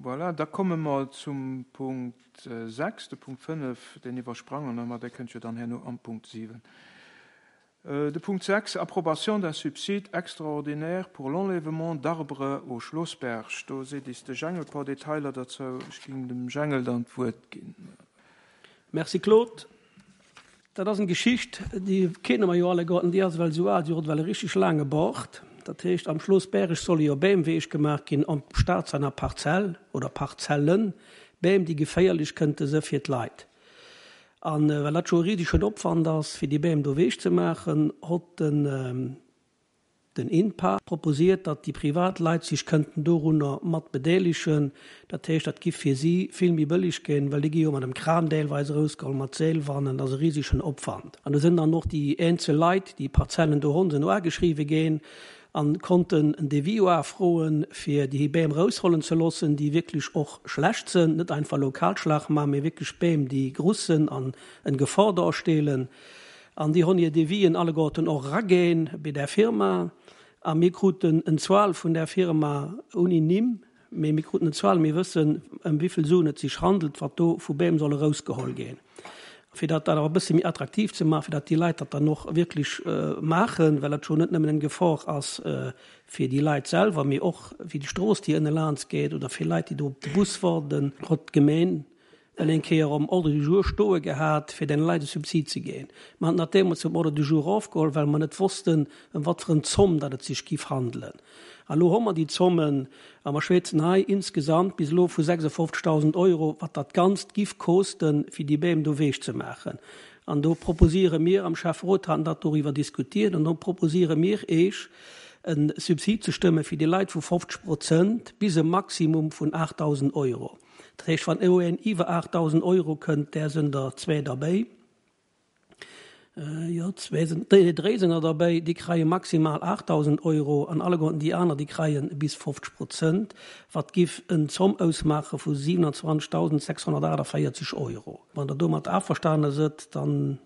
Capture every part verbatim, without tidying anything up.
Voilà, da komme mer zum Punkt sechs, de Punkt fënnef, deen iwwersprangen mer, dee kënnt jo dann herno am Punkt siwen. De Punkt sechs, Approbation d'un subside extraordinaire pour l'enlèvement d'arbres au Schlossberg. Do seet is de Jengel e puer Detailer dozou. Ech géing dem Jengel dann d'Wuert ginn. Merci Claude. Dat ass eng Geschicht, déi kenne mer jo alleguerten, déi ass ewell esou al, déi huet ewell e richteg laange Bart. Dat heescht, am Schloss Bäreg solle jo Bäm weech gemaach ginn am Staat seiner Parzell oder Parzellen, Bäm, déi geféierlech kënnte se fir d'Leit. A well dat scho e risegen Opwand ass, fir déi Bäm do weech ze maachen, hott den den INPA proposiert, datt déi privat Leit sech kënnten dorunner mat bedeelegen. Dat heescht, dat giff fir si vill méi bëlleg ginn, well déi gi jo mat dem Kran deelweis erausgeholl, mat Seelwannen, dat ass e risegen Opwand. An do sinn dann och déi eenzel Leit, déi Parzellen do hunn, sinn uageschriwwe ginn a konnten en Devis uafroen, fir déi Bäm eraushollen ze loossen, déi wierklech och schlecht sinn, net einfach elo Kalschlag maachen, mee wierklech Bäm, déi gruss sinn an en Gefor darstellen. An déi hunn hir Devisen alleguerten och eraginn bei där Firma. A mir kruten en Zuel vun där Firma ouni Nimm, mee mir kruten en Zuel, mir wëssen, ëm wéi vill Suen et sech handelt, wat do vu Bäm soll erausgeholl ginn. Fir dat dann awer e bësse méi attraktiv ze maachen, fir datt déi Leit dat dann och wierklech maachen, well dat scho net nëmmen eng Gefor ass fir déi Leit selwer, mee och fir déi Strooss, déi ënne laans geet, oder fir Leit, déi do op de Bus waarden, huet d'Gemeen well eng Kéier um Ordre du jour stoe gehat, fir den Leit e Subsid ze ginn. Mer haten dat deemools um Ordre du jour erofgeholl, well mer net wossten, ëm wat fir en Zomm datt et sech giff handelen. A lo hu mer déi Zommen a mer schwätzen hei insgesamt bis elo vu sechsundfünfzigtausend Euro, wat dat Ganzt giff kosten, fir déi Bäm do weech ze maachen. An do proposiere mir, am Schäfferot haten dat doriwwer diskutiert, an do proposiere mir Eech, e Subsid ze stëmme fir déi Leit vu fofzeg Prozent bis e Maximum vun aachtdausend Euro. Dat heescht, wann elo een iwwer aachtdausend Euro kënnt, där sinn der zwee derbäi, jo, zwee sinn, nee, dréi sinn der derbäi, déi kreie maximal aachtdausend Euro an alleguerten déi aner, déi kreie bis fofzeg Prozent, wat giff en Zomm ausmaache vu siewenundzwanzigtausendsechshunnertaachundvierzig Euro. Wann Der domat averstane sidd, dann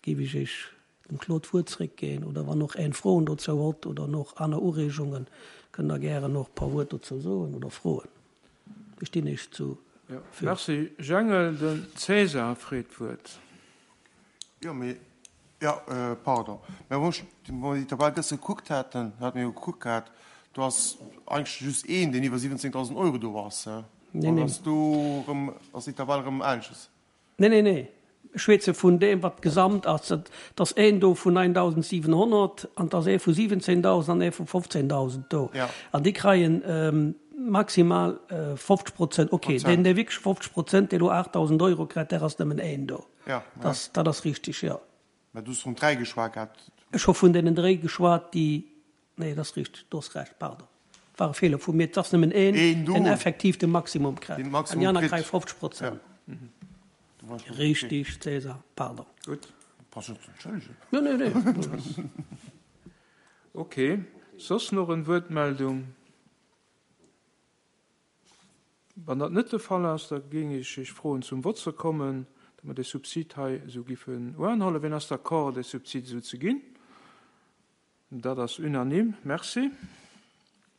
géif ech Iech dem Claude d'Wuert zréckginn, oder wann och een Froen dozou hutt oder och aner Ureegungen, kënnt Der gären och e puer Wuert dozou soen oder froen. Ech stinn Iech zu Ja, merci Jengel. Den César freet d'Wuert. Jo, mee, jo, pardon, mä wou ech déi Tabell gëschter gekuckt haten, hate mir jo gekuckt gehat, do ass eigentlech just een, deen iwwer siwwenzéngtausend Euro do ass. Nee, nee. Ass do erëm, ass déi Tabell erëm anesches? Nee, nee, nee. Ech schwätze vun deem, wat gesamt ass. Et ass een do vun neindausendsiwenhonnert an et ass ee vu siwwenzéngdausend an ee vu fofzéngdausend do. An déi kreien maximal fofzeg Prozent. Okay, deen, dee wierklech fofzeg Prozent, dee elo aachtdausend Euro kritt, där ass nëmmen een do. Dat ass richtig, jo. Mä du hues vun dräi geschwat gehat. Ech hu vun deenen dréi geschwat, déi, nee, dat ass richtig, du hues Recht, pardon. War e Feeler vu mir. Et ass nëmmen een, deen effektiv de Maximum kritt. An déi aner kréie fofzeg Prozent. Richtig, César, pardon. Gutt. Brauchst net ze entschëllegen. Nee, nee, nee. Ok. Soss nach en Wuertmeldung? Wann dat net de Fall ass, da géing ech Iech froen, zum Vott ze kommen, datt mer dee Subsid hei esou giffen uanhuelen. Wien ass d'accord, dee Subsid esou ze ginn? Dat ass unanime. Merci.